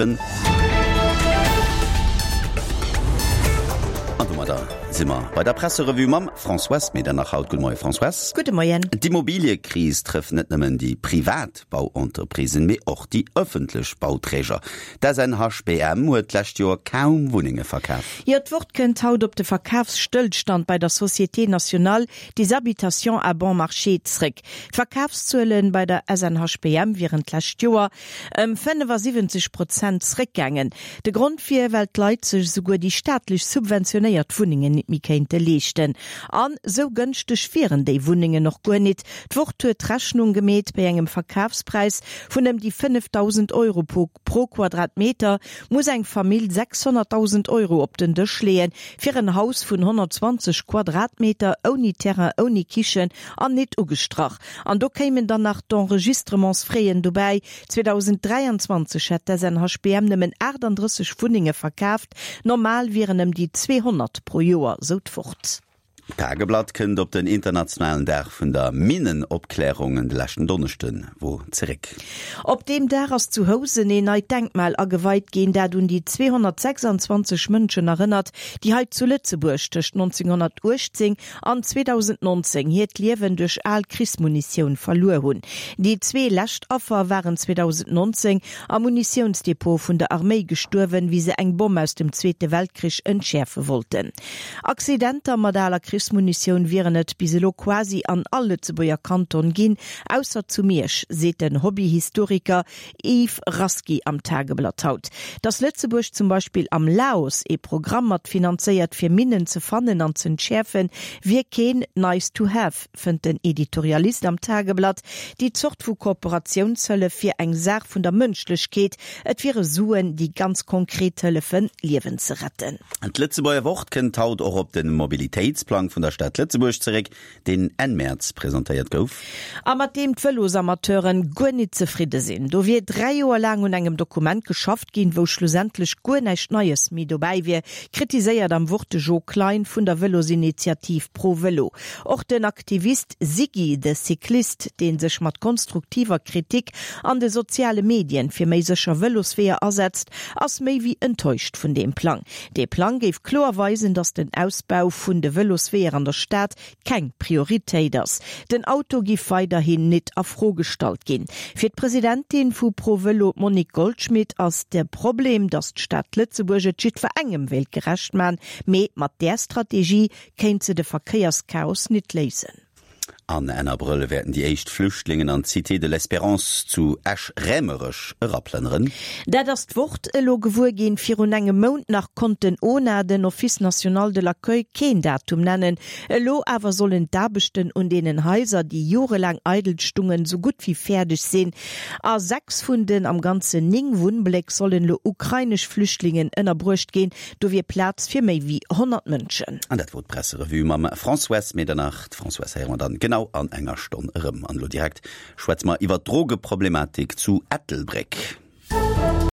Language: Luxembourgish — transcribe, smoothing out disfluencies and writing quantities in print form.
An domadder si mer bei der Presserevue mam Françoise Medernach haut. Gudde Moie Françoise. Gudde Moien. D'Immobiliëkris trëfft net nëmmen déi privat Bauentreprisen, mee och déi ëffentlech Bauträger. D'SNHBM huet d'lescht Joer kaum Wunnenge verkaf. Jo, d'Wort kënnt haut op de Verkafsstëllstand bei der Société Nationale des Habitations à bon marché zréck. D'Verkafszuele bei der SNHBM wieren d'lescht Joer Ëm 75 Prozent zréckgaangen. De Grond wier, well d'Leit sech esouguer déi staatlech subventionéiert Wunnengen nit méi kéinte leeschten. An esou gënschteg wieren déi Wunnengen och guer nit. D'Wort huet d'Rechnung gemeet, bei engem Verkafspräis vun ëm déi 5.000 Euro pro Quadratmeter muss eng Famill 600.000 Euro op den Dësch leeën, fir en Haus vun 120 Quadratmeter ouni Terrain, ouni Kichen an nit ugestrach. An do kéimen dann nach d'Enregistrementsfraisen dobäi. 2023 hätt d'SNHBM nëmmen 38 Wunnenge verkaaft, normal wieren ëm déi 200 pro Joer, sou d'Wort. D'Tageblatt kënnt op den internationalen Dag vun der Minnenopklärung de leschten Donneschde wor zeréck. Op deem Dag ass zu Housen een neit Denkmal ageweit ginn, dat un déi 226 Mënschen erënnert, déi hei zu Lëtzebuerg tëscht 1918 an 2019 hiert Liewen duerch al Krichsmunitioun verluer hunn. Déi zwee lescht Affer waren 2019 am Munitiounsdepot vun der Arméi gestuerwen, wéi se eng Bomm aus dem Zweete Weltkrich entschäerfe wollten. Accidenter mat aler Krichsmunitioun wieren et bis elo quasi an all Lëtzebuerger Kanton ginn, ausser zu Miersch, seet den Hobbyhistoriker Yves Rasqui am Tageblatt haut, dass Lëtzebuerg zum Beispill am Laos ee Programm mat finanzéiert fir Minnen ze fannen an z'entschäerfen, wier keen nice to have, fënnt den Editorialist am Tageblatt. Déi Zort vu Kooperatiounshëllef wier eng Saach vun der Mënschlechkeet, et wiere Suen, déi ganz konkret hëllefen, Liewen ze retten. D'Lëtzebuerger Wort kënnt haut och op de Mobilitéitsplang vun der Stad Lëtzebuerg zeréck. deen Enn Mäerz presentéiert gouf. A mat deem d'Vëlosamateuren guer nit zefridde sinn. Do wier 3 Joer laang un engem Dokument geschafft ginn, wou schlussendlech guer näischt Neies méi dobäi wier, kritiséiert am Wort de Jo Klein vun der Vëlosinitiativ Pro Vëlo. Och den Aktivist Siggy de Cycliste, dee sech mat konstruktiver Kritik an de soziale Medien fir méi sécher Vëlosweeër asetzt, ass méi wéi enttäuscht vun deem Plang. Dee Plang géif kloer weisen, datt den Ausbau vun de Vëlosweeër an der Stad keng Prioritéit ass. Den Auto giff weiderhin nit a Fro gestallt ginn. Fir d'Presidentin vu Pro Vëlo, d'Monique Goldschmit, ass de Problem, datt d'Stad Lëtzebuerg et jiddwerengem wéilt gerecht man, mee mat där Strategie kéint se de Verkéierschaos nit léisen. An Enn Abrëll wäerten déi éischt Flüchtlingen an d'Cité de l'Espérance zu Esch-Raemerech eraplënneren. Dat ass d'Wort elo gewuer ginn. Virun engem Mount nach konnt den ona, den Office national de l'accueil, keen Datum nennen. Elo awer sollen d'Aarbechten un deenen Haiser, déi jorelaang eidel stungen, sou gutt wéi fäerdeg sinn. A 6 vun den am Ganzen 9 Wunnbléck sollen elo ukrainesch Flüchtlingen ënnerbruecht ginn. Do wier Plaz fir méi wéi 100 Mënschen. An dat wor d'Presserevue mam Françoise Medernach. D'Françoise héiere mer dann genau an enger Stonn erëm. An elo direkt schwätze mer iwwer d'Drogeproblematik zu Ettelbréck.